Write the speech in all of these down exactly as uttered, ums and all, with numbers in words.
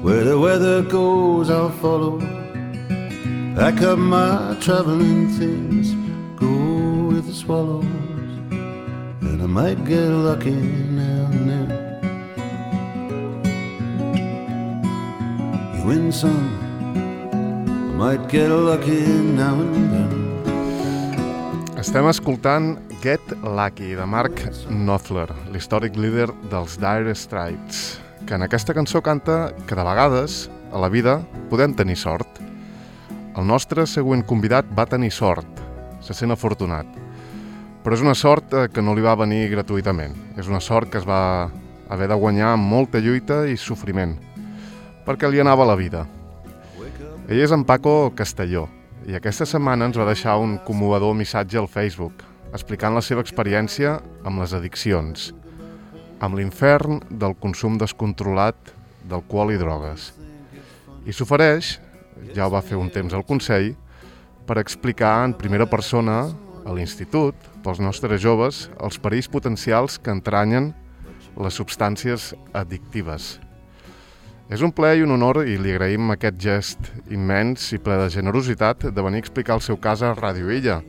Where the weather goes I'll follow. Pack up my traveling things, go with the swallows, and I might get lucky now and then. You win some, I might get lucky now and then. Estem escoltant Get Lucky, de Mark Knopfler, l'històric líder dels Dire Straits, que en aquesta cançó canta que de vegades, a la vida, podem tenir sort. El nostre següent convidat va tenir sort, se sent afortunat, però és una sort que no li va venir gratuïtament. És una sort que es va haver de guanyar amb molta lluita i sofriment, perquè li anava la vida. Ell és en Paco Castelló, i aquesta setmana ens va deixar un commovedor missatge al Facebook, explicant la seva experiència amb les addiccions, amb l'infern del consum descontrolat d'alcohol i drogues. I s'ofereix, ja ho va fer un temps al Consell, per explicar en primera persona a l'institut, pels nostres joves, els perills potencials que entranyen les substàncies addictives. És un plaer i un honor, i li agraïm aquest gest immens i ple de generositat de venir a explicar el seu cas a Ràdio Illa,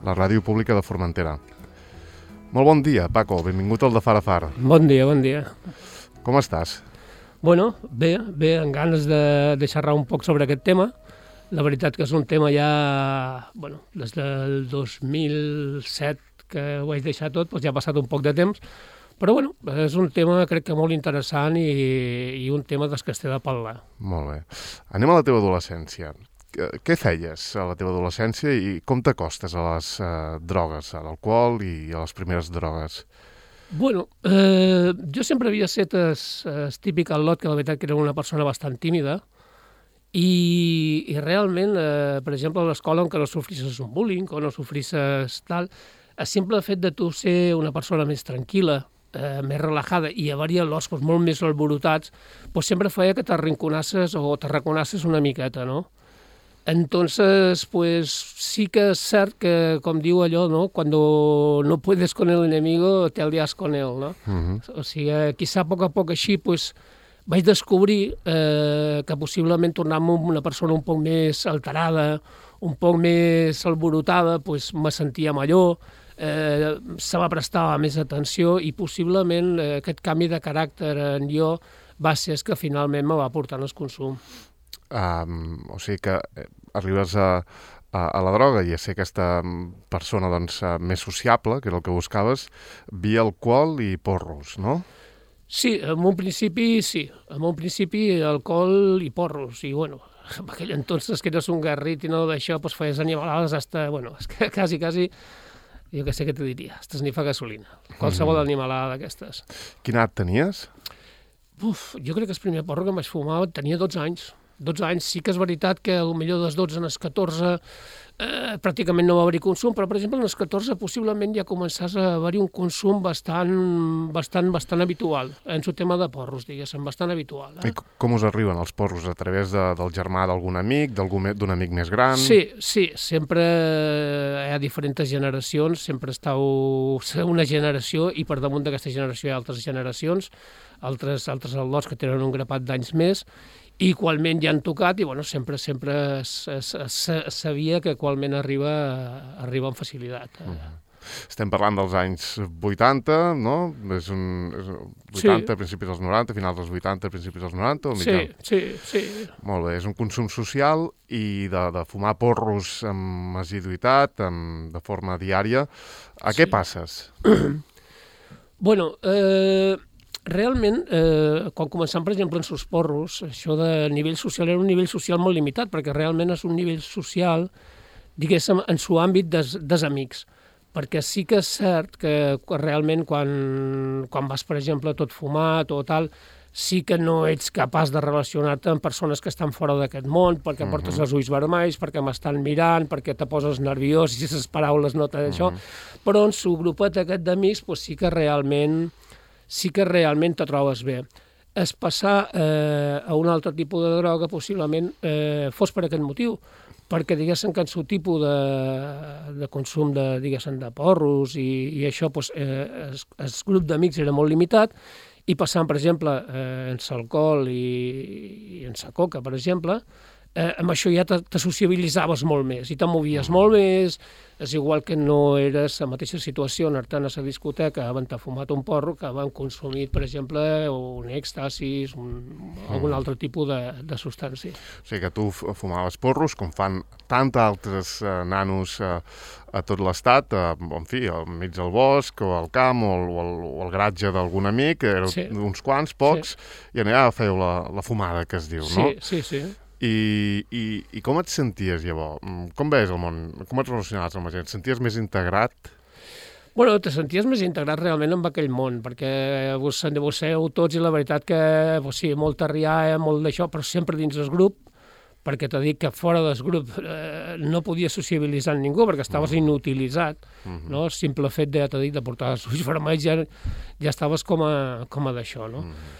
la ràdio pública de Formentera. Molt bon dia, Paco, benvingut al de Far a Far. Bon dia, bon dia. Com estàs? Bueno, bé, bé, amb ganes de, de xerrar un poc sobre aquest tema. La veritat que és un tema ja, bueno, des del dos mil set que ho vaig deixar tot, doncs ja ha passat un poc de temps, però bueno, és un tema crec que molt interessant i, i un tema dels que es té de parlar. Molt bé. Anem a la teva adolescència. Què feies a la teva adolescència i com t'acostes a les uh, drogues, a l'alcohol i a les primeres drogues? Bueno, eh, jo sempre havia estat es, es típic al lot, que la veritat que era una persona bastant tímida, i, i realment, eh, per exemple, a l'escola, on que no sofrisses un bullying o no sofrisses tal, el simple fet de tu ser una persona més tranquil·la, eh, més relajada i haver-hi los doncs, molt més alborotats, doncs sempre feia que t'arrinconasses o t'arraconasses una miqueta, no? Entonces, pues sí que es cert que, com diu allò, ¿no? Cuando no puedes con el enemigo, te alias con él, ¿no? Uh-huh. O sigui, quizá a poc a poc així, pues, vaig descobrir eh, que possiblement tornar-me una persona un poc més alterada, un poc més alborotada, pues, me sentia millor, eh, se va prestar més atenció i possiblement eh, aquest canvi de caràcter en jo va ser que finalment me va portar al consum. Um, o sigui que arribes a, a, a la droga i a ser aquesta persona doncs, més sociable, que era el que buscaves, via alcohol i porros, no? Sí, en un principi sí. En un principi alcohol i porros. I bueno, en aquell entonces que eres un garrit i no d'això, pues feies animalades hasta, bueno, és que quasi, quasi, jo què sé què te diria, hasta esnifar gasolina. Qualsevol mm. animalada d'aquestes. Quina edat tenies? Uf, jo crec que el primer porro que em vaig fumar tenia dotze anys. dotze anys, sí que és veritat que potser dels dotze als catorze eh, pràcticament no va haver-hi consum, però per exemple als catorze possiblement ja començàs a haver-hi un consum bastant, bastant, bastant habitual, en el tema de porros, diguéssim, bastant habitual. Eh? I com us arriben els porros? A través de, del germà d'algun amic, d'un amic més gran? Sí, sí, sempre hi ha diferents generacions, sempre estàu una generació i per damunt d'aquesta generació hi ha altres generacions, altres, altres al·lots que tenen un grapat d'anys més, i qualment ja han tocat i bueno, sempre sempre es, es, es, es sabia que qualment arriba, arriba amb facilitat. Uh-huh. Estem parlant dels anys vuitanta, no? És un, és vuitanta, sí. Principis dels noranta, finals dels vuitanta, principis dels noranta? O sí, sí, sí. Molt bé, és un consum social i de, de fumar porros amb assiduïtat, amb, de forma diària. A sí. Què passes? Bueno, eh... realment, eh, quan començam, per exemple, en sos porros, això de nivell social era un nivell social molt limitat, perquè realment és un nivell social, diguéssim, en su àmbit des, des amics. Perquè sí que és cert que realment quan, quan vas, per exemple, tot fumat o tal, sí que no ets capaç de relacionar-te amb persones que estan fora d'aquest món, perquè uh-huh. portes els ulls vermells, perquè m'estan mirant, perquè te poses nerviós i les paraules no te d'això, uh-huh. però en su grupet aquest d'amics pues, sí que realment sí que realment te trobes bé. Es passar eh, a un altre tipus de droga possiblement eh, fos per aquest motiu, perquè diguéssim que en el tipus de, de consum de, diguéssim, de porros i, i això, pues, eh, el, el grup d'amics era molt limitat i passant, per exemple, eh, en l'alcohol i, sense coca, per exemple, eh, amb això ja te, te sociabilitzaves molt més i te movies molt més. És igual que no eres la mateixa situació anar-te a la discoteca havent fumat un porro que havent consumit, per exemple, un èxtasis, un, algun altre tipus de, de substància. O sigui que tu fumaves porros, com fan tant altres eh, nanos eh, a tot l'estat, eh, en fi, al mig del bosc, o al camp, o al, o al, o al garatge d'algun amic, éreu sí. uns quants, pocs, sí. i allà fèieu la, la fumada, que es diu, sí, no? Sí, sí, sí. I, i, I com et senties, llavors? Com veies el món? Com et relacionaves amb la gent? Et senties més integrat? Bueno, te senties més integrat realment amb aquell món, perquè vos endevoceu tots i la veritat que, pues sí, molta rialla, molt d'això, però sempre dins del grup, perquè t'he dit que fora del grup eh, no podies sociabilitzar amb ningú, perquè estaves mm. inutilitzat, mm-hmm. no? El simple fet de, t'he dit, de portar els ulls vermells ja, ja estaves com a, com a d'això, no? Mm.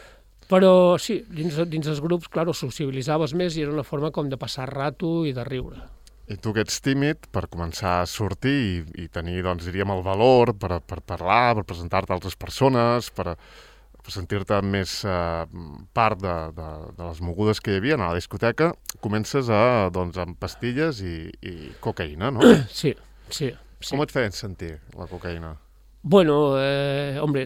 Però sí, dins, dins els grups, clar, ho sociabilitzaves més i era una forma com de passar rato i de riure. I tu que ets tímid, per començar a sortir i, i tenir, doncs, diríem, el valor per, per parlar, per presentar-te a altres persones, per, per sentir-te més eh, part de, de, de les mogudes que hi havia a la discoteca, comences a, doncs, amb pastilles i, i cocaïna, no? Sí, sí. sí. Com et feien sentir la cocaïna? Bueno, eh, hombre,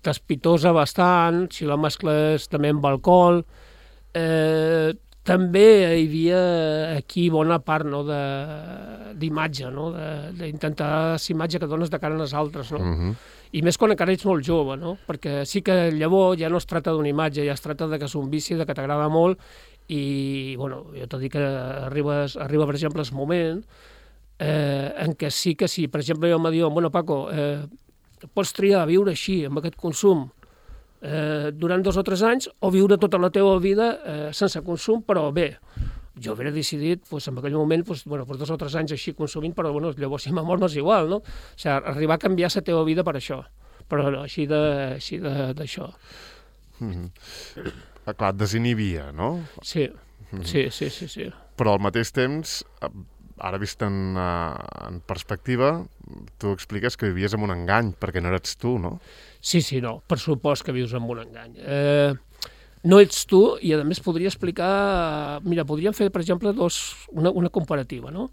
t'espitosa bastant, si la mescles també amb alcohol. Eh, també hi havia aquí bona part, no, d'imatge, no? D'intentar la imatge que dones de cara als altres, no? Uh-huh. I més quan encara ets molt jove, no? Perquè sí que llavors ja no es tracta d'una imatge, ja es tracta de que és un vici, de que t'agrada molt, i, bueno, jo t'ho dic que arribes, arriba, per exemple, el moment Eh, en què sí que sí, per exemple, jo em diuen, bueno, Paco, eh, pots triar viure així, amb aquest consum, eh, durant dos o tres anys, o viure tota la teva vida eh, sense consum, però bé. Jo hauria decidit, pues, en aquell moment, pues, bueno, pues dos o tres anys així consumint, però bueno, llavors si m'amor no és igual, no? O sigui, arribar a canviar la teva vida per això, però no, així d'això. Mm-hmm. Clar, et desinhibia, no? Sí, mm-hmm. sí, sí, sí, sí. Però al mateix temps, ara vist en, en perspectiva, tu expliques que vivies amb un engany, perquè no eres tu, no? Sí, sí, no, per supost que vius amb un engany. Eh, no ets tu, i a més podria explicar... Mira, podríem fer, per exemple, dos, una, una comparativa, no?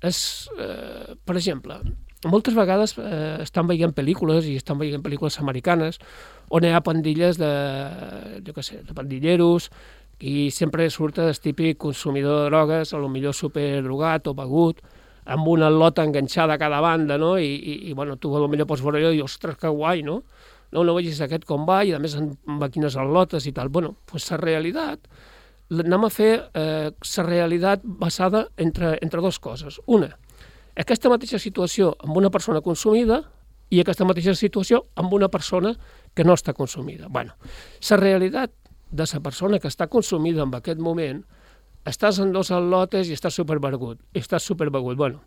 És, eh, per exemple, moltes vegades eh, estan veient pel·lícules, i estan veient pel·lícules americanes, on hi ha pandilles de, jo què sé, de pandilleros, i sempre surt el típic consumidor de drogues, a lo millor superdrogat o begut, amb una lota enganxada a cada banda, no? I, i, i bueno, tu a lo millor pots veure allò i dius, ostres, que guai, no? No, no vegis aquest com va, i a més amb quines al·lotes i tal. Bueno, doncs la realitat, anem a fer eh, la realitat basada entre, entre dues coses. Una, aquesta mateixa situació amb una persona consumida i aquesta mateixa situació amb una persona que no està consumida. Bueno, la realitat de la persona que està consumida en aquest moment, estàs en dos al·lotes i estàs superbegut, i estàs superbegut. Bueno,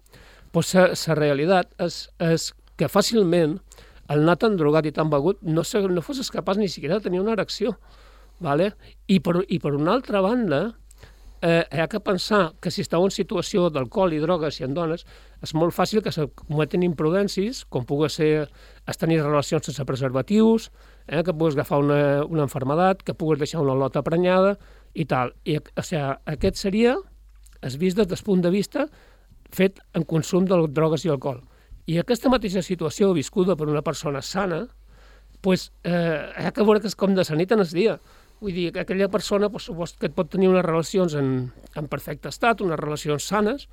doncs la realitat és, és que fàcilment el anar tan drogat i tan begut no, no fossis capaç ni siquiera de tenir una erecció. ¿Vale? I, per, I per una altra banda, eh, hi ha que pensar que si esteu en situació d'alcohol i drogues i en dones, és molt fàcil que se cometen imprudències, com pugui ser es tenir relacions sense preservatius, eh, que puguis agafar una, una enfermedat, que puguis deixar una lota prenyada i tal. I, o sigui, aquest seria es vist des del punt de vista fet en consum de drogues i alcohol. I aquesta mateixa situació viscuda per una persona sana, pues, eh, hi ha que veure que és com de la nit en el dia. Vull dir, que aquella persona pues, que et pot tenir unes relacions en, en perfecte estat, unes relacions sanes,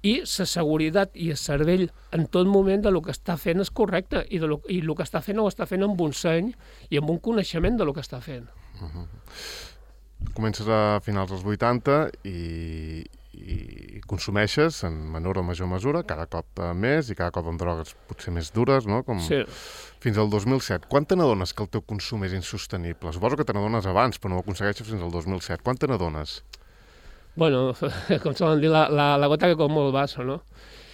i la seguretat i el cervell en tot moment de lo que està fent és correcte, i, de lo, i el que està fent ho està fent amb un seny i amb un coneixement de lo que està fent. Uh-huh. Comences a finals dels vuitanta i, i consumeixes en menor o major mesura, cada cop més i cada cop amb drogues potser més dures, no? Com... Sí. Fins al dos mil set. Quan te n'adones que el teu consum és insostenible? Suposo que te n'adones abans, però no ho aconsegueixes fins al dos mil set. Quan te n'adones? Bueno, com solen dir, la, la, la gota que com molt vaso, no?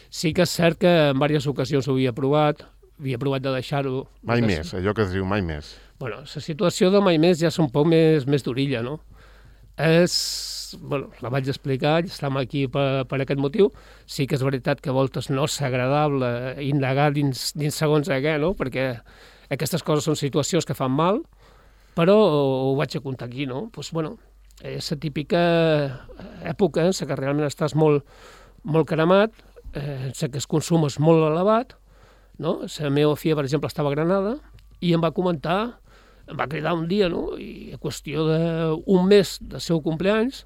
Sí que és cert que en diverses ocasions ho havia provat, havia provat de deixar-ho. Mai més, allò que es diu mai més. Bueno, la situació de mai més ja és un poc més, més d'orilla, no? És... Bueno, la vaig explicar, estem aquí per, per aquest motiu. Sí que és veritat que a voltes no és agradable indagar dins, dins segons a què, no? Perquè aquestes coses són situacions que fan mal, però ho vaig a contar aquí, no? Pues, bueno, és la típica època en què realment estàs molt, molt cremat, eh, en què el consum és molt elevat, no? La meva filla, per exemple, estava a Granada i em va comentar, em va cridar un dia, no? I a qüestió d'un mes del seu compleanys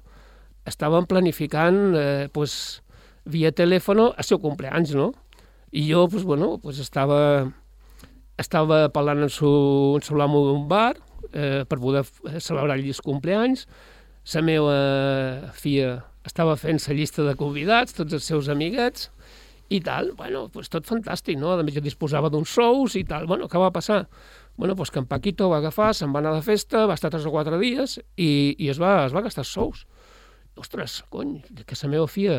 estaven planificant eh, pues, via telèfon el seu compleanys, no? I jo, pues, bueno, pues, estava, estava parlant en su, en su amo d'un bar eh, per poder celebrar el compleanys. La meva filla estava fent la llista de convidats, tots els seus amiguets, i tal, bueno, pues tot fantàstic, no? A més, jo disposava d'uns sous i tal. Bueno, què va passar? Bueno, pues que en Paquito va agafar, se'n va anar de festa, va estar tres o quatre dies i, i es, va, es va gastar els sous. Ostres, cony, que la meva filla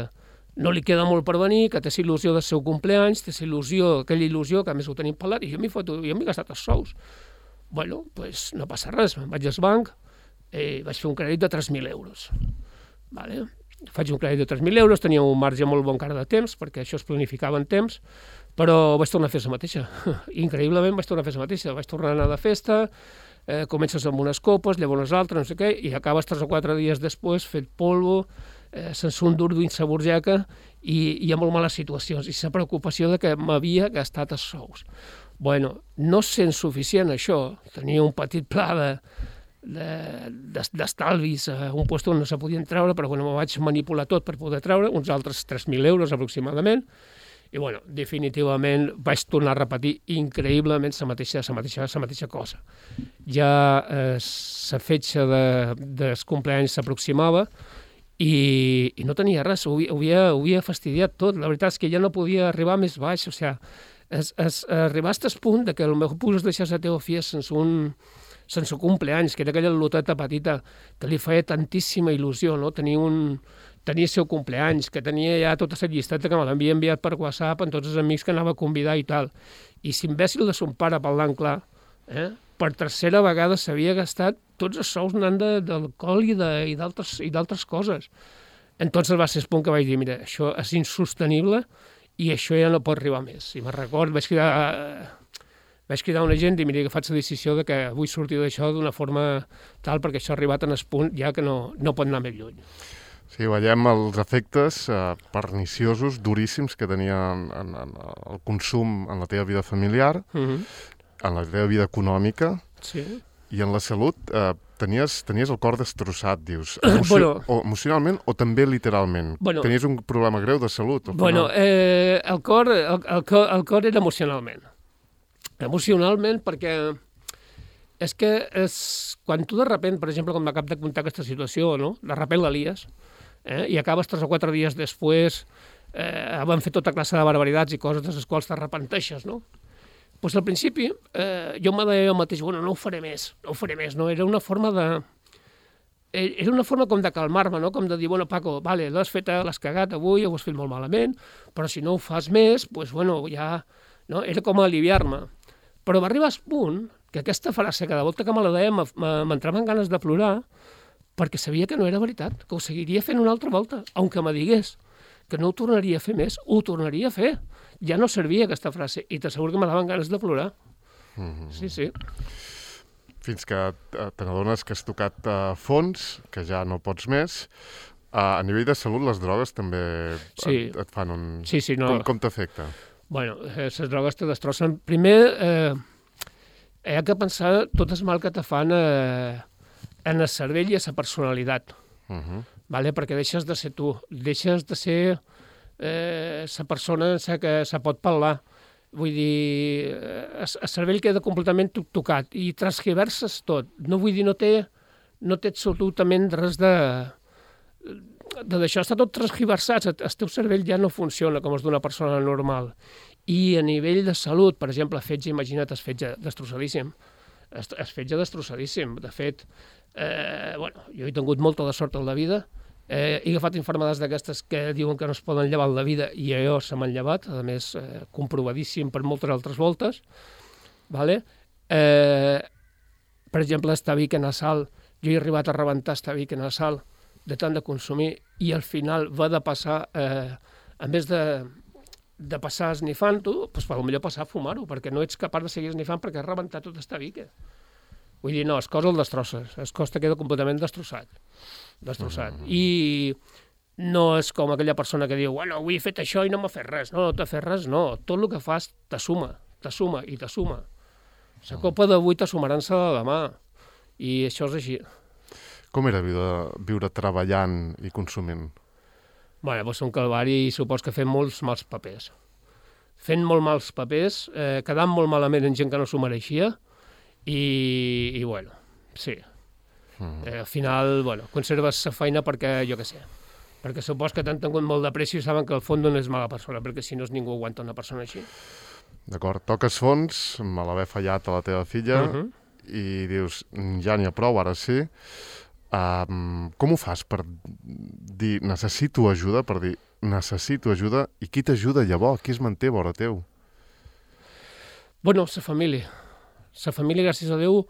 no li queda molt per venir, que té il·lusió del seu compleanys, té il·lusió, aquella il·lusió, que a més ho tenim parlat, i jo m'hi foto, jo m'he gastat els sous. Bueno, pues no passa res, me'n vaig al banc, eh, vaig fer un crèdit de tres mil euros. Vale? Faig un crèdit de tres mil euros, tenia un marge molt bon cara de temps, perquè això es planificava en temps, però vaig tornar a fer la mateixa. Increïblement vaig tornar a fer la mateixa. Vaig tornar a anar de festa, eh, comences amb unes copes, llavors unes altres, no sé què, i acabes tres o quatre dies després fet polvo, eh, sense un dur dins la burgeca, i hi ha molt males situacions, i la preocupació de que m'havia gastat els sous. Bueno, no sent suficient això, tenia un petit pla de d'estalvis a un lloc on no se podien treure, però bueno, me vaig manipular tot per poder treure, uns altres tres mil euros aproximadament, i bueno, definitivament vaig tornar a repetir increïblement la mateixa, la mateixa, la mateixa cosa. Ja eh, la fetge de, dels compleanys s'aproximava i, i no tenia res, ho, ho, havia, ho havia fastidiat tot. La veritat és que ja no podia arribar més baix, o sigui, es, es, arribaste al punt de que potser podies deixar la teva filla sense un sense compleanys, que era aquella loteta petita que li feia tantíssima il·lusió, no? Tenir un, tenir el seu compleanys, que tenia ja tota la llisteta que me l'havia enviat per WhatsApp amb tots els amics que anava a convidar i tal. I l'imbècil de son pare, parlant clar, eh? per tercera vegada s'havia gastat tots els sous anant d'alcohol i d'altres coses. Entonces va ser el punt que vaig dir, mira, això és insostenible i això ja no pot arribar més. I me'n record, vaig cridar... Vaig cridar una gent i mira que faig la decisió de que vull sortir d'això d'una forma tal perquè això ha arribat en el punt ja que no, no pot anar més lluny. Sí, veiem els efectes eh, perniciosos, duríssims que tenia en, en, en el consum en la teva vida familiar, Uh-huh. en la teva vida econòmica Sí. i en la salut. Eh, tenies, tenies el cor destrossat, dius, emocio Bueno. o emocionalment o també literalment. Bueno. Tenies un problema greu de salut. Al Bueno, final. eh, el, cor, el, el, cor, el cor era emocionalment. Emocionalment perquè és que és, quan tu de repent, per exemple, com m'acab de contar aquesta situació, no? De repent la lies, eh? I acabes tres o quatre dies després, eh, van fer tota classe de barbaritats i coses de les quals t'arrepenteixes, no? Pues al principi eh, jo me deia jo mateix, bueno, no ho faré més, no ho faré més, no? Era una forma de... Era una forma com de calmar-me, no? Com de dir, bueno, Paco, vale, l'has fet, l'has cagat avui, ho has fet molt malament, però si no ho fas més, pues bueno, ja... No? Era com aliviar-me. Però va arribar al punt que aquesta frase, cada volta que me la deia, m'entraven ganes de plorar perquè sabia que no era veritat, que ho seguiria fent una altra volta, aunque me digués que no ho tornaria a fer més, ho tornaria a fer. Ja no servia aquesta frase i t'asseguro que me daven ganes de plorar. Mm-hmm. Sí, sí. Fins que te n'adones que has tocat a fons, que ja no pots més. A nivell de salut, les drogues també Sí. et, et fan un... Sí, sí, no. Com, com t'afecta? Bueno, eh, les drogues te destrossen. Primer, eh, hi ha que pensar tot el mal que te fan eh, en el cervell i a la personalitat, Uh-huh. vale? Perquè deixes de ser tu, deixes de ser eh, la persona en la que se pot parlar. Vull dir, eh, el cervell queda completament tocat i transgiverses tot. No vull dir, no té, no té absolutament res de... de d'això està tot transgiversat, el teu cervell ja no funciona com és d'una persona normal. I a nivell de salut, per exemple, fetge, imagina't, es fetge destrossadíssim. Es, es fetge destrossadíssim. De fet, eh, bueno, jo he tingut molta de sort en la vida, eh, he agafat infermedats d'aquestes que diuen que no es poden llevar en la vida i jo se m'han llevat, a més, eh, comprovadíssim per moltes altres voltes. Vale? Eh, per exemple, estavic nasal, jo he arribat a rebentar estavic nasal, de tant de consumir, i al final va de passar, eh, en vez de, de passar esnifant-ho, doncs potser passar a fumar-ho, perquè no ets capaç de seguir esnifant perquè has rebentat tot esta vica. Vull dir, no, el cos el destrosses, el cos te queda completament destrossat. destrossat. Mm. I no és com aquella persona que diu, bueno, avui he fet això i no m'ha fet res. No, no t'ha fet res, no. Tot el que fas t'assuma, t'assuma i t'assuma. La copa d'avui t'assumaran-se de demà. I això és així. Com era viure, viure treballant i consumint? Bé, va ser un calvari i supos que fent molts mals papers. Fent molt mals papers, eh, quedant molt malament en gent que no s'ho mereixia i, i bueno, sí. Mm. Eh, al final, bueno, conserves la feina perquè, jo què sé, perquè supos que t'han tingut molt de pressió i saben que al fons no és mala persona, perquè si no ningú aguanta una persona així. D'acord, toques fons, me l'haver fallat a la teva filla, uh -huh. i dius, ja n'hi ha prou, ara sí. Um, com ho fas per dir, necessito ajuda, per dir, necessito ajuda, i qui t'ajuda llavors? Qui es manté vora teu? Bueno, la família. La família, gràcies a Déu,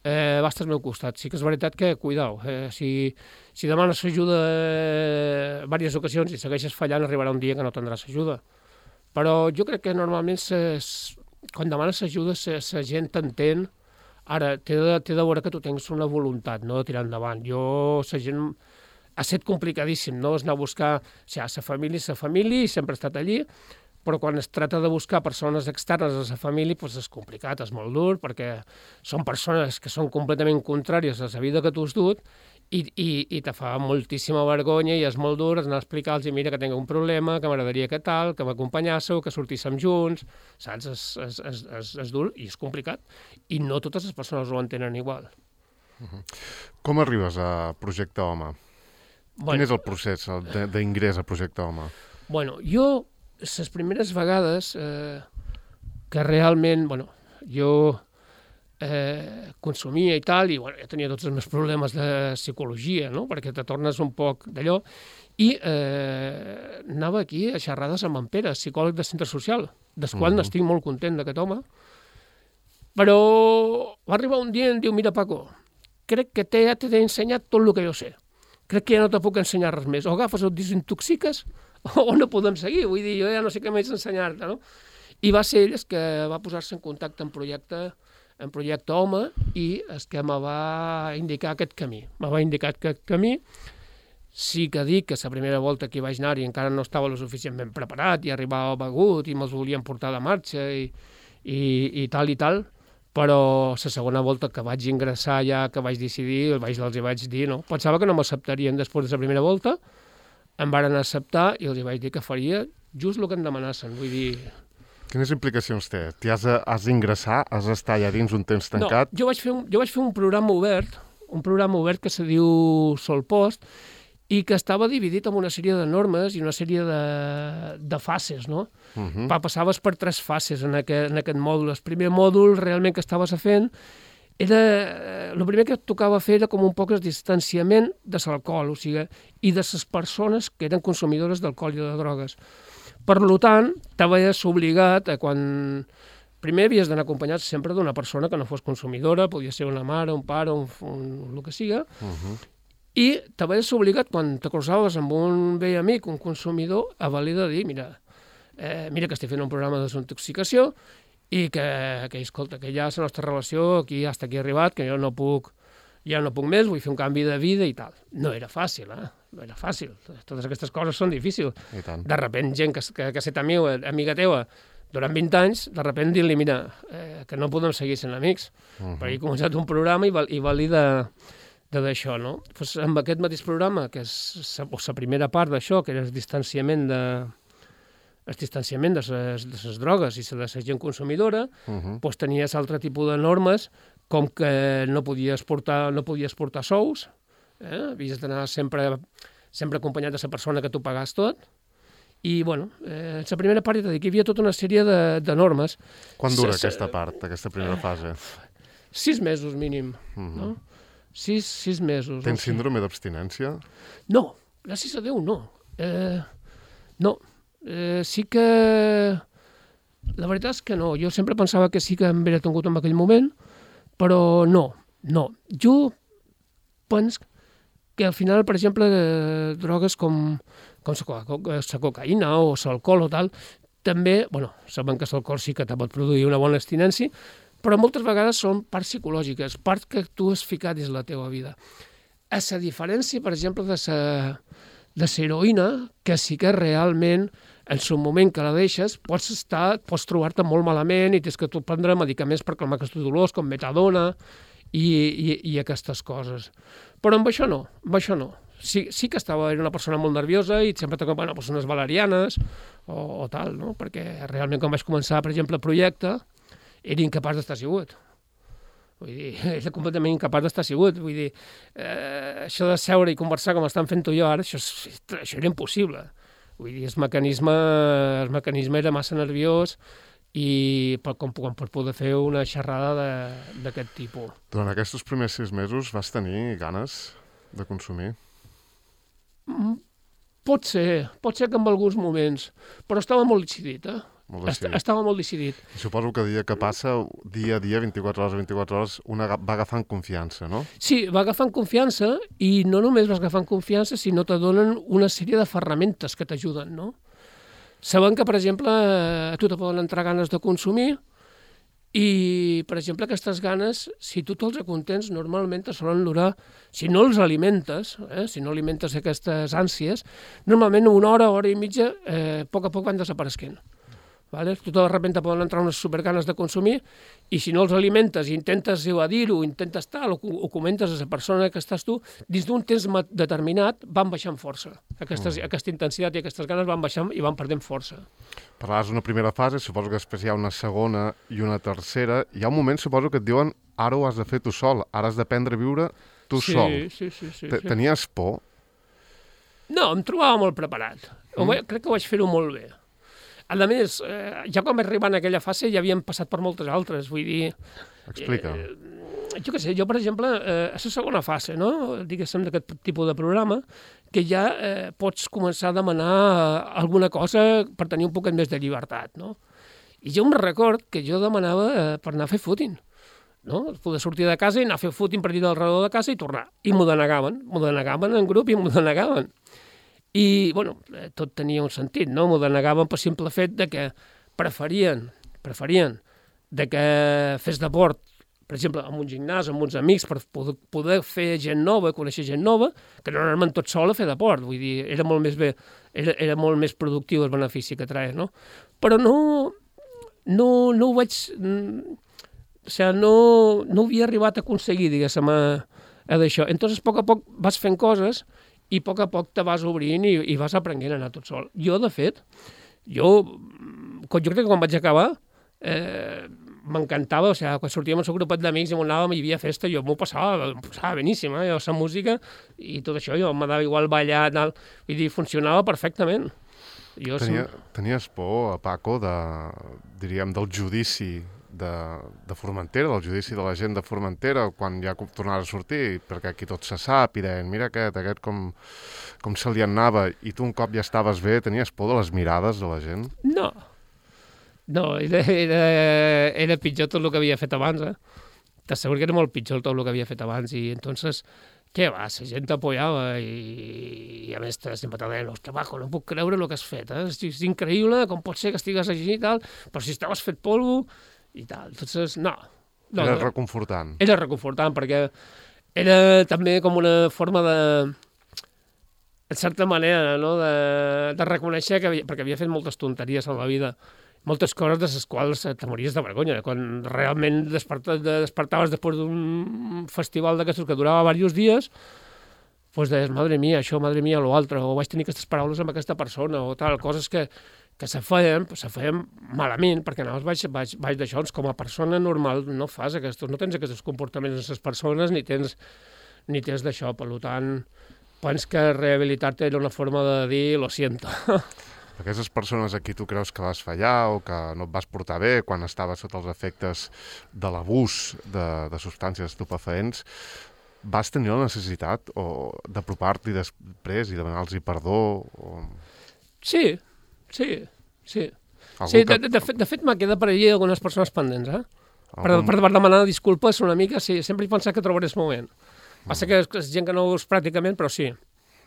eh, va estar al meu costat. Sí que és veritat que, cuidao, eh, si, si demanes ajuda eh, diverses ocasions i segueixes fallant, arribarà un dia que no tindràs ajuda. Però jo crec que normalment ses, quan demanes ajuda la gent t'entén. Ara, t'he de, t'he de veure que tu tens una voluntat, no?, de tirar endavant. Jo, la gent... Ha estat complicadíssim, no?, és anar a buscar... O sigui, la família és la família i sempre ha estat allí, però quan es tracta de buscar persones externes a la família, doncs és complicat, és molt dur, perquè són persones que són completament contràries a la vida que tu has dut i, i, i te fa moltíssima vergonya i és molt dur anar a explicar-los, mira, que tinc un problema, que m'agradaria que tal, que m'acompanyàssiu, que sortíssim junts, saps? És, és, és, és, és dur i és complicat. I no totes les persones ho entenen igual. Uh-huh. Com arribes a Projecte Home? Bueno, quin és el procés d'ingrés a Projecte Home? Bueno, jo, les primeres vegades eh, que realment, bueno, jo eh, consumia i tal, i bueno, ja tenia tots els meus problemes de psicologia, no?, perquè te tornes un poc d'allò, i eh, anava aquí a xerrades amb en Pere, psicòleg de centre social, del qual mm-hmm. n'estic molt content d'aquest home, però va arribar un dia i em diu, mira, Paco, crec que t'he, ja t'he ensenyat tot el que jo sé. Crec que ja no te puc ensenyar res més. O agafes o et desintoxiques o no podem seguir. Vull dir, jo ja no sé què més ensenyar-te, no? I va ser ell que va posar-se en contacte en projecte, en projecte Home i és que me va indicar aquest camí. Me va indicar aquest camí. Sí que dic que la primera volta que hi vaig anar i encara no estava lo suficientment preparat i arribava begut i me'ls volien portar de marxa i, i, i tal i tal, però la segona volta que vaig ingressar ja, que vaig decidir, els vaig, els hi vaig dir, no? Pensava que no m'acceptarien després de la primera volta, em varen acceptar i els hi vaig dir que faria just el que em demanassen, vull dir... Quines implicacions té? T'hi has, has d'ingressar, has d'estar allà dins un temps tancat? No, jo vaig fer un, jo vaig fer un programa obert, un programa obert que se diu Solpost, i que estava dividit en una sèrie de normes i una sèrie de, de fases, no? Uh-huh. Passaves per tres fases en aquest, en aquest mòdul. El primer mòdul realment que estaves fent era... El primer que et tocava fer era com un poc el distanciament de l'alcohol, o sigui, i de les persones que eren consumidores d'alcohol i de drogues. Per tant, t'havies obligat a quan... Primer havies d'anar acompanyat sempre d'una persona que no fos consumidora, podia ser una mare, un pare, un, un, el que siga, uh-huh. I t'havies obligat, quan te cruzaves amb un vell amic, un consumidor, a valer de dir, mira, eh, mira que estic fent un programa de desintoxicació i que, que, escolta, que ja la nostra relació aquí hasta aquí ha arribat, que jo no puc, ja no puc més, vull fer un canvi de vida i tal. No era fàcil, eh? No era fàcil. Totes aquestes coses són difícils. De repent, gent que, que, que ha estat amiga, amiga teva durant vint anys, de repent dir-li, mira, eh, que no podem seguir sent amics, uh-huh. perquè he començat un programa i, val, i valida... d'això, no? Pues amb aquest mateix programa, que és la primera part d'això, que era el distanciament de el distanciament de les, de les drogues i de la gent consumidora, uh-huh. pues tenies altre tipus de normes, com que no podies portar, no podies portar sous, eh? Havies d'anar sempre, sempre acompanyat de la persona que tu pagas tot, i, bueno, eh, la primera part, hi havia tota una sèrie de, de normes. Quan dura s aquesta part, aquesta primera fase? Sis mesos mínim, uh-huh. no? Sis, sis mesos. Tens síndrome d'abstinència? No, gràcies a Déu, no. Eh, no. Eh, sí que... La veritat és que no. Jo sempre pensava que sí que em havia tingut en aquell moment, però no, no. Jo penso que al final, per exemple, eh, drogues com, com la cocaïna o l'alcohol o tal, també, bueno, saben que l'alcohol sí que te pot produir una bona abstinència, però moltes vegades són parts psicològiques, parts que tu has ficat dins la teva vida. a la diferència, per exemple, de la de la heroïna, que sí que realment, en el moment que la deixes, pots estar, pots trobar-te molt malament i tens que prendre medicaments per calmar aquests dolors, com metadona i, i, i aquestes coses. Però amb això no, amb això no. Sí, sí que estava, era una persona molt nerviosa i sempre t'acompanyen persones valerianes o, o tal, no? Perquè realment quan vaig començar, per exemple, el projecte, era incapaç d'estar assegut. Vull dir, era completament incapaç d'estar assegut. Vull dir, eh, això de seure i conversar com estan fent tu i jo ara, això, això era impossible. Vull dir, el mecanisme, el mecanisme era massa nerviós i per, com, com per poder fer una xerrada d'aquest tipus. Durant aquests primers sis mesos vas tenir ganes de consumir? Pot ser, pot ser que en alguns moments, però estava molt decidit, eh? Molt decidit. Estava molt decidit. I suposo que dia que passa, dia a dia, vint-i-quatre hores a vint-i-quatre hores, una va agafant confiança, no? Sí, va agafant confiança i no només vas agafant confiança, sinó te donen una sèrie de ferramentes que t'ajuden, no? Saben que, per exemple, a tu te poden entrar ganes de consumir i, per exemple, aquestes ganes, si tu te'ls acontents, normalment te solen durar, si no els alimentes, eh, si no alimentes aquestes ànsies, normalment una hora, hora i mitja, eh, a poc a poc van desapareixent. Vale? Tu de sobte poden entrar unes superganes de consumir i si no els alimentes i intentes evadir-ho, intentes tal, o, o comentes a la persona que estàs tu, dins d'un temps determinat van baixant força. Aquestes, mm. Aquesta intensitat i aquestes ganes van baixant i van perdent força. Parlaves d'una primera fase, suposo que després hi ha una segona i una tercera. Hi ha un moment, suposo, que et diuen ara ho has de fer tu sol, ara has d'aprendre a viure tu sí, sol. Sí, sí, sí, sí. Tenies por? No, em trobava molt preparat. Mm. Crec que vaig fer-ho molt bé. A més, eh, ja quan vaig arribar en aquella fase ja havíem passat per moltes altres, vull dir... Explica. Eh, jo què sé, jo, per exemple, eh, a la segona fase, no?, diguéssim, d'aquest tipus de programa, que ja eh, pots començar a demanar alguna cosa per tenir un poc més de llibertat, no? I jo em record que jo demanava eh, per anar a fer footing, no? Poder sortir de casa i anar a fer footing per allà al redor de casa i tornar. I m'ho denegaven, m'ho denegaven en grup i m'ho denegaven. I, bueno, tot tenia un sentit, no? M'ho denegaven per simple fet de que preferien, preferien de que fes deport, per exemple, amb un gimnàs, amb uns amics, per poder, poder fer gent nova, conèixer gent nova, que no anar-me'n tot sol a fer deport. Vull dir, era molt més bé, era, era molt més productiu el benefici que traia, no? Però no, no, no ho vaig... O sigui, no, no ho havia arribat a aconseguir, diguéssim, a, a d'això. Entonces, a poc a poc vas fent coses i a poc a poc te vas obrint i, i vas aprenent a anar tot sol. Jo, de fet, jo, jo crec que quan vaig acabar, eh, m'encantava, o sigui, quan sortíem amb el grupet d'amics i anàvem i hi havia festa, jo m'ho passava, m'ho passava beníssim, eh? Jo, la música i tot això, jo m'ha dava igual ballar, tal, vull dir, funcionava perfectament. Jo Tenia, som... Tenies por, Paco, de, diríem, del judici de, de Formentera, del judici de la gent de Formentera, quan ja tornaves a sortir, perquè aquí tot se sap, i deien, mira aquest, aquest com, com se li anava, i tu un cop ja estaves bé, tenies por de les mirades de la gent? No, no, era, era, era pitjor tot el que havia fet abans, eh? T'asseguro que era molt pitjor tot el que havia fet abans, i entonces, què va, la gent t'apoyava, i, i a més sempre te deien, ostres, Paco, no puc creure el que has fet, eh? És increïble, com pot ser que estigues així i tal, però si estaves fet polvo, i tal. Entonces, no. no era no. reconfortant. Era reconfortant, perquè era també com una forma de, en certa manera, no? de, de reconèixer que havia, perquè havia fet moltes tonteries en la vida, moltes coses de les quals te mories de vergonya. Quan realment desperta, despertaves després d'un festival d'aquestos que durava diversos dies, doncs deies, madre mia, això, madre mia, lo altre, o vaig tenir aquestes paraules amb aquesta persona, o tal, coses que que se feien, se feien malament, perquè anaves baix, baix, baix d'això, doncs com a persona normal no fas aquests, no tens aquests comportaments en les persones, ni tens, ni tens d'això, per tant, penso que rehabilitar-te era una forma de dir, lo siento. Aquestes persones a qui tu creus que vas fallar o que no et vas portar bé quan estaves sota els efectes de l'abús de, de substàncies estupefaents, vas tenir la necessitat o d'apropar-t'hi després i demanar-los perdó? O... Sí, sí, sí. sí de, de, de, fet, de fet, m'ha quedat per allà algunes persones pendents, eh? Per, Algun... per, per demanar disculpes una mica, sí, sempre he pensat que trobaré el moment. Mm. Passa que és gent que no ho veus pràcticament, però sí.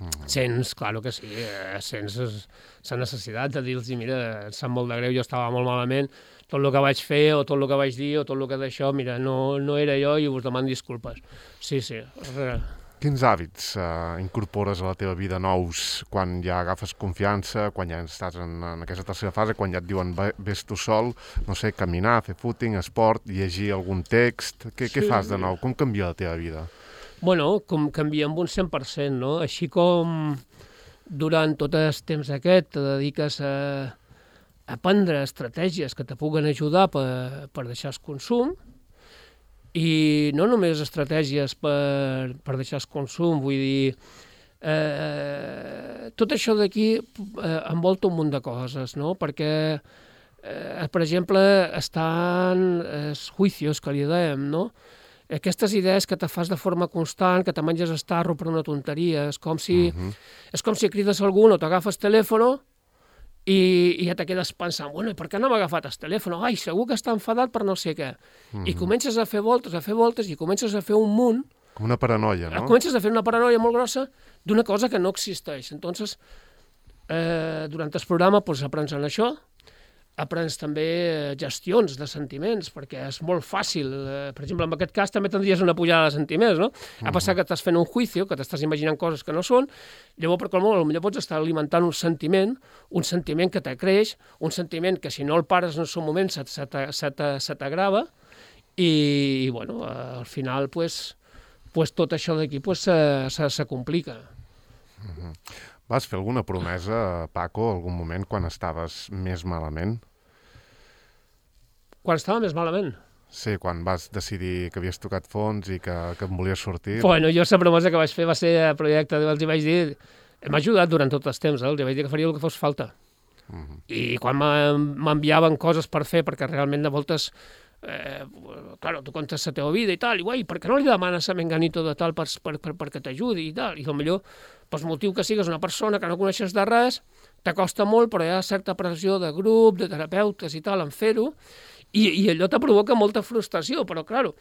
Mm. Sents, claro que sí, eh, sents la necessitat de dir-los, mira, em sap molt de greu, jo estava molt malament, tot el que vaig fer o tot el que vaig dir o tot el que d'això, mira, no, no era jo i us demano disculpes. Sí, sí. Quins hàbits eh, incorpores a la teva vida nous quan ja agafes confiança, quan ja estàs en, en aquesta tercera fase, quan ja et diuen ves tu sol, no sé, caminar, fer footing, esport, llegir algun text... Què, sí. Què fas de nou? Com canvia la teva vida? Bueno, com canvia amb un cent per cent, no? Així com durant tot el temps aquest te dediques a, a prendre estratègies que te puguen ajudar per, per deixar el consum, i no només estratègies per, per deixar el consum, vull dir, eh, tot això d'aquí eh, envolta un munt de coses, no? Perquè, eh, per exemple, estan els juicios que li dèiem, no? Aquestes idees que te fas de forma constant, que te menges estarro per una tonteria, és com si, uh-huh. és com si crides a algú o t'agafes telèfon i, i ja te quedes pensant, bueno, i per què no m'ha agafat el telèfon? Ai, segur que està enfadat per no sé què. Mm-hmm. I comences a fer voltes, a fer voltes, i comences a fer un munt... Com una paranoia, no? Comences a fer una paranoia molt grossa d'una cosa que no existeix. Entonces, eh, durant el programa pues, aprens en això, aprens també gestions de sentiments, perquè és molt fàcil. Eh, per exemple, en aquest cas també tindries una pujada de sentiments, no? Mm-hmm. Ha passat que estàs fent un juicio, que t'estàs imaginant coses que no són, llavors, per qualsevol, potser pots estar alimentant un sentiment, un sentiment que t'acreix, un sentiment que si no el pares en el seu moment se, se, se, se t'agrava, i, i bueno, al final, pues, pues, tot això d'aquí pues, se, se, se complica. Mm-hmm. Vas fer alguna promesa, Paco, algun moment quan estaves més malament? Quan estava més malament? Sí, quan vas decidir que havies tocat fons i que, que em volies sortir. Bueno, jo la promesa que vaig fer va ser el projecte, els hi vaig dir, m'ha ajudat durant tot el temps, eh? Els hi vaig dir que faria el que fos falta. Uh-huh. I quan m'enviaven coses per fer, perquè realment de voltes, eh, claro, tu contes la teva vida i tal, i guai, per què no li demanes a Menganito de tal per, per, per, perquè t'ajudi i tal? I potser, pel motiu que sigues una persona que no coneixes de res, t'acosta molt, però hi ha certa pressió de grup, de terapeutes i tal, en fer-ho, i, i allò te provoca molta frustració, però, claro,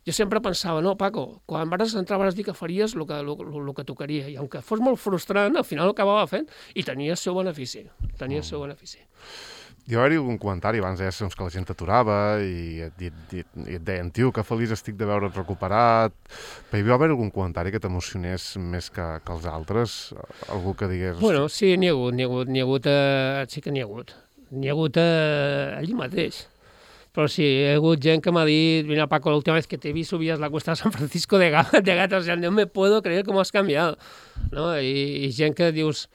jo sempre pensava, no, Paco, quan vas entrar vas dir que faries el que, el, el que tocaria, i aunque fos molt frustrant, al final ho acabava fent, i tenia el seu benefici, tenia el seu benefici. Hi va haver algun comentari abans, eh, que la gent t'aturava i et, i, i, i et deien, tio, que feliç estic de veure't recuperat. Però hi va haver algun comentari que t'emocionés més que, que els altres? Algú que digués... Bueno, sí, n'hi ha hagut, n'hi ha hagut, n'hi ha hagut, eh, sí que n'hi ha hagut. N'hi ha hagut eh, allí mateix. Però sí, hi ha hagut gent que m'ha dit, mira, Paco, l'última vez que te vi subías la cuesta de San Francisco de, de Gata, o sea, no me puedo creer cómo has cambiado. No? I, i gent que dius...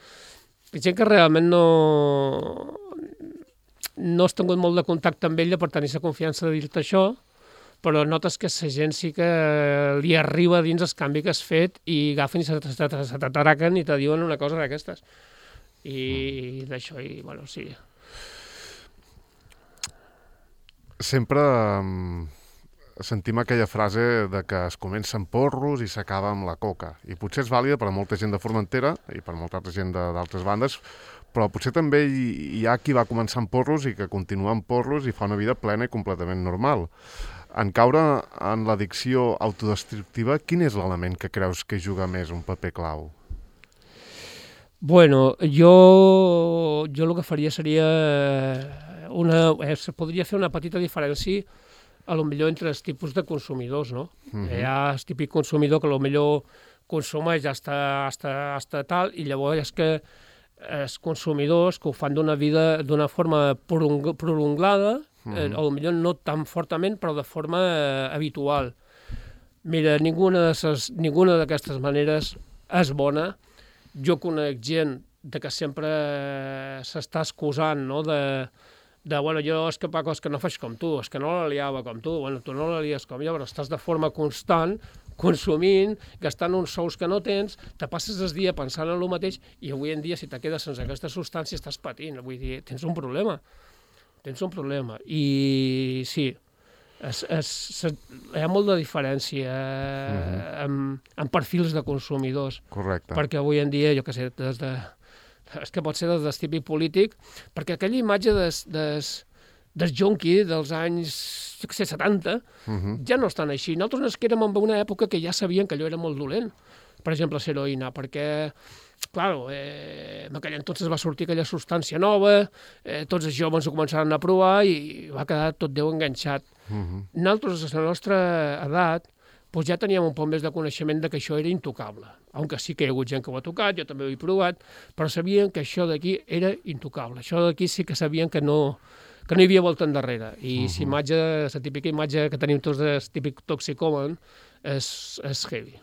Gent que realment no... no has tingut molt de contacte amb ella per tenir la confiança de dir-te això, però notes que la gent sí que li arriba dins el canvi que has fet i agafen i se t'atraquen i te diuen una cosa d'aquestes. I d'això, i bueno, sí. Sempre um, sentim aquella frase de que es comença amb porros i s'acaba amb la coca. I potser és vàlida per a molta gent de Formentera i per a molta altra gent d'altres bandes, però potser també hi ha qui va començar amb porros i que continua amb porros i fa una vida plena i completament normal. En caure en l'addicció autodestructiva, quin és l'element que creus que juga més un paper clau? Bueno, jo, jo el que faria seria una... Eh, podria fer una petita diferència a lo millor entre els tipus de consumidors, no? Uh-huh. Hi ha el típic consumidor que a lo millor consumeix hasta, hasta, hasta tal, i llavors és que els consumidors que ho fan d'una vida d'una forma prolongada, uh-huh. eh, o potser no tan fortament, però de forma eh, habitual. Mira, ninguna d'aquestes maneres és bona. Jo conec gent de que sempre s'està excusant, no?, de, de, bueno, jo és que, Paco, és que no faig com tu, és que no la liava com tu, bueno, tu no la lies com jo, però estàs de forma constant consumint, gastant uns sous que no tens, te passes el dia pensant en el mateix i avui en dia, si te quedes sense aquesta substància, estàs patint. Vull dir, tens un problema. Tens un problema. I sí, es, es, es, hi ha molt de diferència eh, uh-huh. en, en perfils de consumidors. Correcte. Perquè avui en dia, jo què sé, des de, és que pot ser des del típic polític, perquè aquella imatge des, des, del junkie dels anys, jo què sé, setanta, uh-huh. ja no estan així. Nosaltres ens quedem en una època que ja sabien que allò era molt dolent, per exemple, l'heroïna, perquè, clar, eh, en aquell entonces va sortir aquella substància nova, eh, tots els joves ho començaran a provar i va quedar tot Déu enganxat. Uh-huh. Nosaltres, a la nostra edat, doncs ja teníem un poc més de coneixement de que això era intocable. Aunque sí que hi ha hagut gent que ho ha tocat, jo també ho he provat, però sabien que això d'aquí era intocable. Això d'aquí sí que sabien que no, que no hi havia volta endarrere. I uh -huh. si imatge, la típica imatge que tenim tots del típic toxicòman, és, és heavy.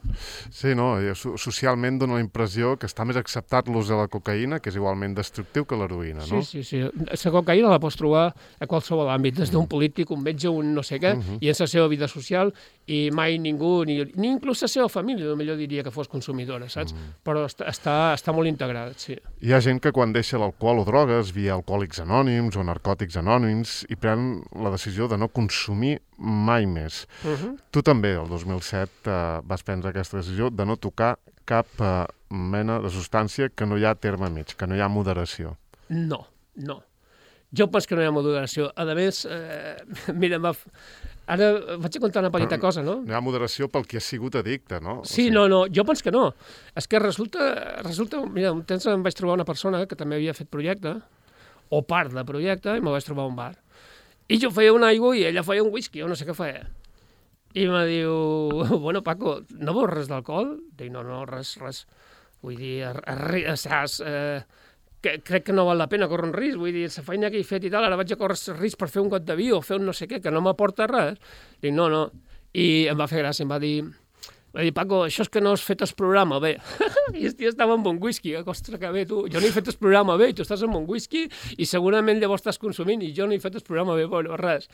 Sí, no? Socialment dona la impressió que està més acceptat l'ús de la cocaïna, que és igualment destructiu que l'heroïna, no? Sí, sí, sí. La cocaïna la pots trobar a qualsevol àmbit, des d'un polític, un metge, un no sé què, uh -huh. i en la seva vida social, i mai ningú, ni, ni inclús la seva família, millor diria que fos consumidora, saps? Uh -huh. Però està, està, està molt integrat, sí. Hi ha gent que quan deixa l'alcohol o drogues via Alcohòlics Anònims o Narcòtics Anònims i pren la decisió de no consumir mai més. Uh -huh. Tu també, el dos mil set, eh, vas prendre aquesta decisió de no tocar cap eh, mena de substància que no hi ha terme mig, que no hi ha moderació. No, no. Jo penso que no hi ha moderació. A més, eh, mira, ara vaig a contar una petita Però cosa, no? No hi ha moderació pel que ha sigut addicte, no? O Sí, sigui... no, no, jo penso que no. És que resulta, resulta, mira, un temps em vaig trobar una persona que també havia fet projecte, o part de projecte, i me vaig trobar a un bar. I jo feia una aigua i ella feia un whisky, o no sé què feia. I me diu, bueno, Paco, no vols res d'alcohol? Dic, no, no, res, res. Vull dir, saps, eh, que, crec que no val la pena córrer un risc. Vull dir, la feina que he fet i tal, ara vaig a córrer risc per fer un got de vi o fer un no sé què, que no m'aporta res. Dic, no, no. I em va fer gràcia, em va dir, va dir, Paco, això és que no has fet el programa bé. I el tio estava amb un whisky, eh? Ostres, que bé, tu. Jo no he fet el programa bé, tu estàs amb un whisky i segurament llavors estàs consumint i jo no he fet el programa bé. Bueno, res.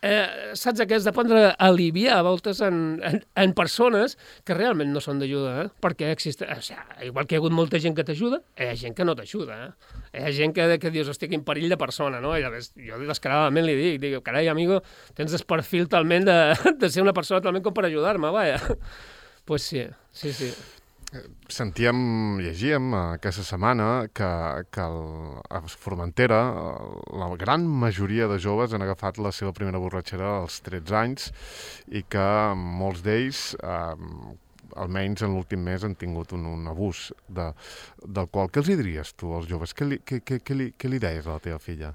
Eh, saps que has d'aprendre a aliviar a voltes en, en, en persones que realment no són d'ajuda, eh? Perquè existe, o sigui, igual que hi ha hagut molta gent que t'ajuda, hi ha gent que no t'ajuda, eh? Hi ha gent que, que dius, estic en perill de persona, no? I llavors, jo descaradament li dic, dic, carai, amigo, tens el perfil talment de, de ser una persona talment com per ajudar-me, vaja. Pues sí, sí, sí. Sentíem, llegíem aquesta setmana que, que el, a Formentera la gran majoria de joves han agafat la seva primera borratxera als tretze anys i que molts d'ells, eh, almenys en l'últim mes, han tingut un, un abús de, d'alcohol. Què els hi diries tu als joves? Què li, què, què, què li, què li deies a la teva filla?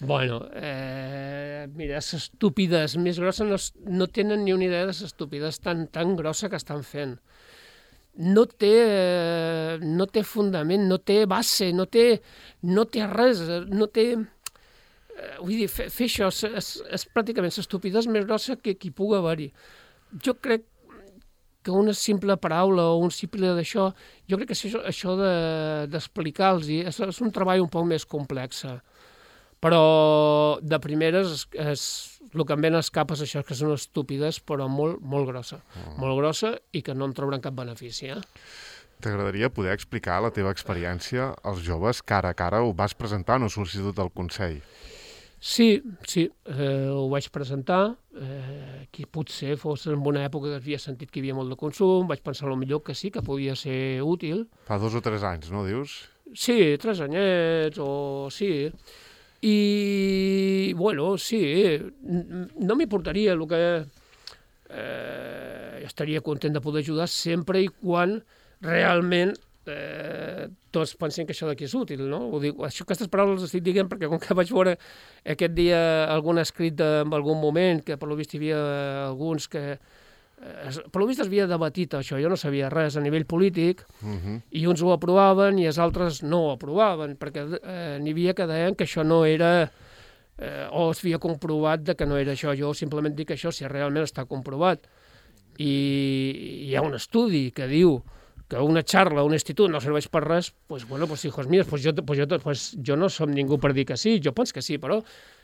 Bueno, eh, mira, les estúpides més grosses no, no tenen ni una idea de les estúpides tan, tan grossa que estan fent. No té, eh, no té fundament, no té base, no té, no té res, no té... Eh, vull dir, fer, fer això és, és, és pràcticament l'estupidesa més grossa que, que hi pugui haver-hi. Jo crec que una simple paraula o un simple d'això, jo crec que això, això de, d'explicar-los és, és un treball un poc més complex. Però de primeres és, és, el que em ven als capes això és que són estúpides, però molt, molt grossa. Oh. Molt grossa i que no en trauran cap benefici. Eh? T'agradaria poder explicar la teva experiència als joves cara a cara? Ho vas presentar en una sol·licitud del Consell? Sí, sí, eh, ho vaig presentar. Eh, que potser fos en una època que havia sentit que hi havia molt de consum, vaig pensar potser que sí, que podia ser útil. Fa dos o tres anys, no, dius? Sí, tres anyets, o sí... I, bueno, sí, no m'importaria el que... Eh, estaria content de poder ajudar sempre i quan realment eh, tots pensin que això d'aquí és útil, no? Ho dic, això, aquestes paraules les estic dient perquè com que vaig veure aquest dia algun escrit en algun moment, que per lo vist hi havia alguns que... Per lo vist es havia debatit això, jo no sabia res a nivell polític, uh-huh. i uns ho aprovaven i els altres no ho aprovaven, perquè eh, n'hi havia que deien que això no era, eh, o es havia comprovat de que no era això. Jo simplement dic això si realment està comprovat. I hi ha un estudi que diu que una xarra a un institut no serveix per res, doncs, bueno, pues, hijos míos, pues jo, pues jo, pues jo no som ningú per dir que sí, jo penso que sí, però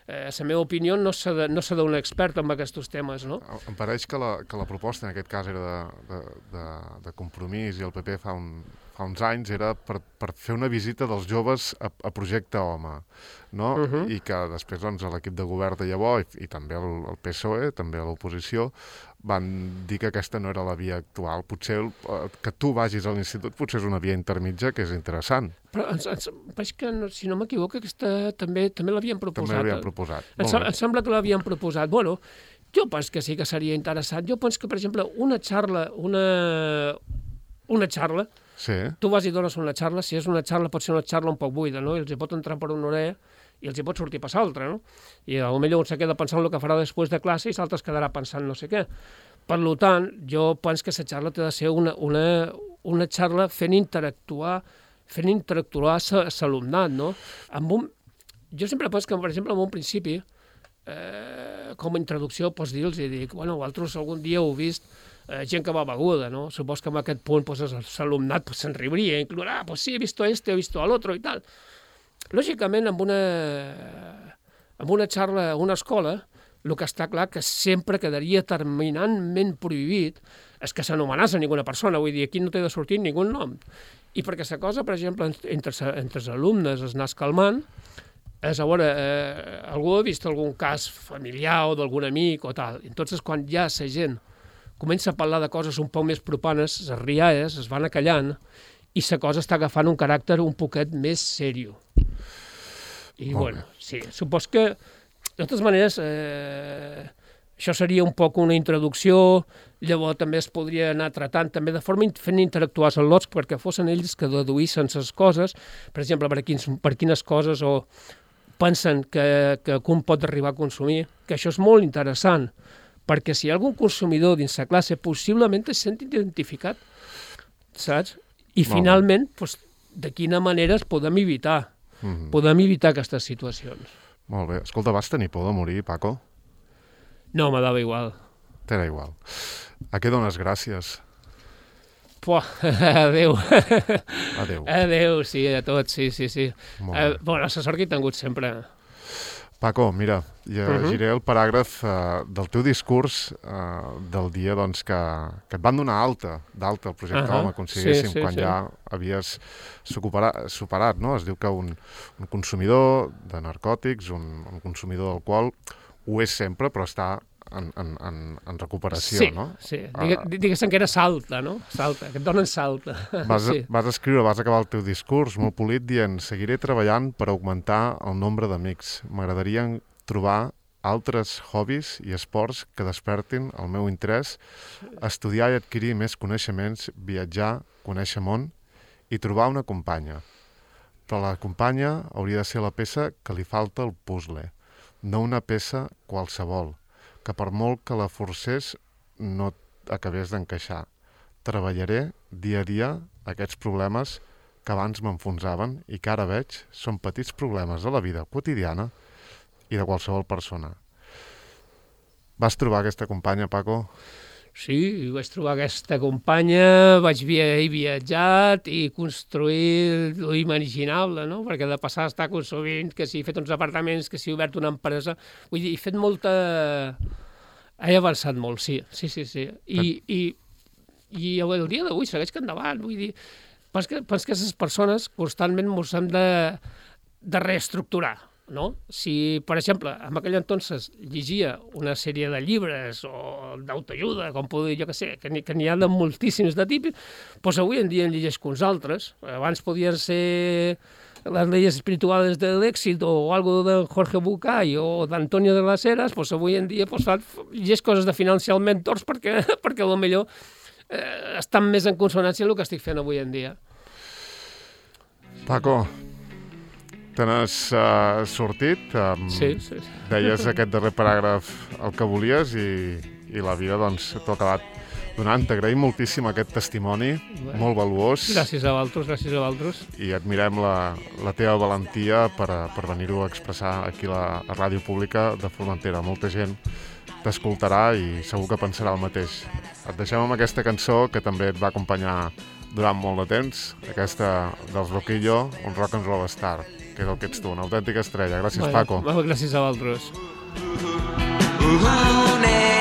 eh, la meva opinió no s'ha de, no s'ha d'un expert en aquests temes, no? Em pareix que la, que la proposta en aquest cas era de, de, de, de Compromís i el P P fa, un, fa uns anys era per, per fer una visita dels joves a, a Projecte Home, no? Uh-huh. I que després doncs, l'equip de govern de llavors i, i també el, el P S O E, també l'oposició, van dir que aquesta no era la via actual. Potser eh, que tu vagis a l'institut potser és una via intermitja que és interessant. Però ens, ens, veig que, no, si no m'equivoco, aquesta també també l'havien proposat. També l'havien proposat. Em, em sembla que l'havien proposat. Bueno, jo penso que sí que seria interessant. Jo penso que, per exemple, una xarra, una, una xarra, sí. Tu vas i dones una xarra, si és una xarra pot ser una xarra un poc buida, no? I els hi pot entrar per una orella i els hi pot sortir per l'altre, no? I potser un se queda pensant el que farà després de classe i l'altre es quedarà pensant no sé què. Per tant, jo penso que la xarra té de ser una, una, una xarra fent interactuar fent interactuar l'alumnat, no? Amb un... Jo sempre penso que, per exemple, en un principi, eh, com a introducció, pots dir-los i dic, bueno, vosaltres algun dia heu vist eh, gent que va beguda, no? Supos que en aquest punt pues, l'alumnat pues, se'n riuria, inclús, ah, pues sí, he visto este, he visto al otro i tal. Lògicament, amb una, amb una xarra a una escola, el que està clar que sempre quedaria terminantment prohibit és que s'anomenàs a ninguna persona, vull dir, aquí no té de sortir ningú nom. I perquè la cosa, per exemple, entre, entre els alumnes es anàs calmant, és, a veure, eh, algú ha vist algun cas familiar o d'algun amic o tal. Entonces, quan ja la gent comença a parlar de coses un poc més propanes, les rialles es van acallant i la cosa està agafant un caràcter un poquet més seriós. I, Molt bueno, sí, supos que, de totes maneres, eh, això seria un poc una introducció, llavors també es podria anar tratant també de forma fent interactuar els lots perquè fossin ells que deduïssin les coses, per exemple, per, quins, per quines coses o pensen que, que un pot arribar a consumir, que això és molt interessant, perquè si hi ha algun consumidor dins la classe, possiblement es sent identificat, saps? I molt finalment, doncs, de quina manera es podem evitar, mm-hmm. podem evitar aquestes situacions. Molt bé. Escolta, vas tenir por de morir, Paco? No, me dava igual. T'era igual. A què dones gràcies? Puah, adéu. Adéu. Adéu, sí, a tots, sí, sí, sí. Molt Eh, bé. bueno, la sort que he tingut sempre. Paco, mira, llegiré el paràgraf uh, del teu discurs uh, del dia doncs, que, que et van donar alta, d'alta el projecte Ahà, Home, aconseguíssim, sí, sí, quan sí. ja havies superat, superat, no? Es diu que un, un consumidor de narcòtics, un, un consumidor d'alcohol, ho és sempre, però està en, en, en, en recuperació, Sí, no? sí. Digue, diguéssim que era salta, no? Salta, que et donen salta. Vas, sí. vas escriure, vas acabar el teu discurs molt polit dient seguiré treballant per augmentar el nombre d'amics. M'agradaria trobar altres hobbies i esports que despertin el meu interès, estudiar i adquirir més coneixements, viatjar, conèixer món i trobar una companya. Però la companya hauria de ser la peça que li falta al puzzle, no una peça qualsevol, que per molt que la forcés no acabés d'encaixar. Treballaré dia a dia aquests problemes que abans m'enfonsaven i que ara veig són petits problemes de la vida quotidiana i de qualsevol persona. Vas trobar aquesta companya, Paco? Sí, vaig trobar aquesta companya, vaig via he viatjat i construir l'imaginable, no? Perquè de passar a estar consumint, que si he fet uns apartaments, que si he obert una empresa... Vull dir, he fet molta... He avançat molt, sí, sí, sí, sí. I, i, i el dia d'avui segueix que endavant, vull dir... Pens que, pens que aquestes persones constantment ens hem de, de reestructurar, no? Si, per exemple, en aquell entonces llegia una sèrie de llibres o d'autoajuda, com puc dir, jo que sé, que n'hi que n'hi ha de moltíssims de tipus, doncs avui en dia en llegeix uns altres. Abans podien ser les leyes espirituals de l'èxit o algo de Jorge Bucay o d'Antonio de las Heras, doncs avui en dia doncs, llegeix coses de Financial Mentors perquè, perquè potser eh, estan més en consonància amb el que estic fent avui en dia. Paco, te n'has uh, sortit, um, Sí, sí. deies aquest darrer paràgraf el que volies i, i la vida doncs t'ho ha acabat donant. T'agraïm moltíssim aquest testimoni, Bé. molt valuós, Gràcies a vosaltres, gràcies a vosaltres. i admirem la, la teva valentia per, a- per venir-ho a expressar aquí a la a Ràdio Pública de Formentera. Molta gent t'escoltarà i segur que pensarà el mateix. Et deixem amb aquesta cançó que també et va acompanyar durant molt de temps, aquesta dels Loquillo, un rock and roll star, que és el que ets tu, una autèntica estrella. Gràcies, Bueno, Paco. bueno, gràcies a vosaltres. Ooh,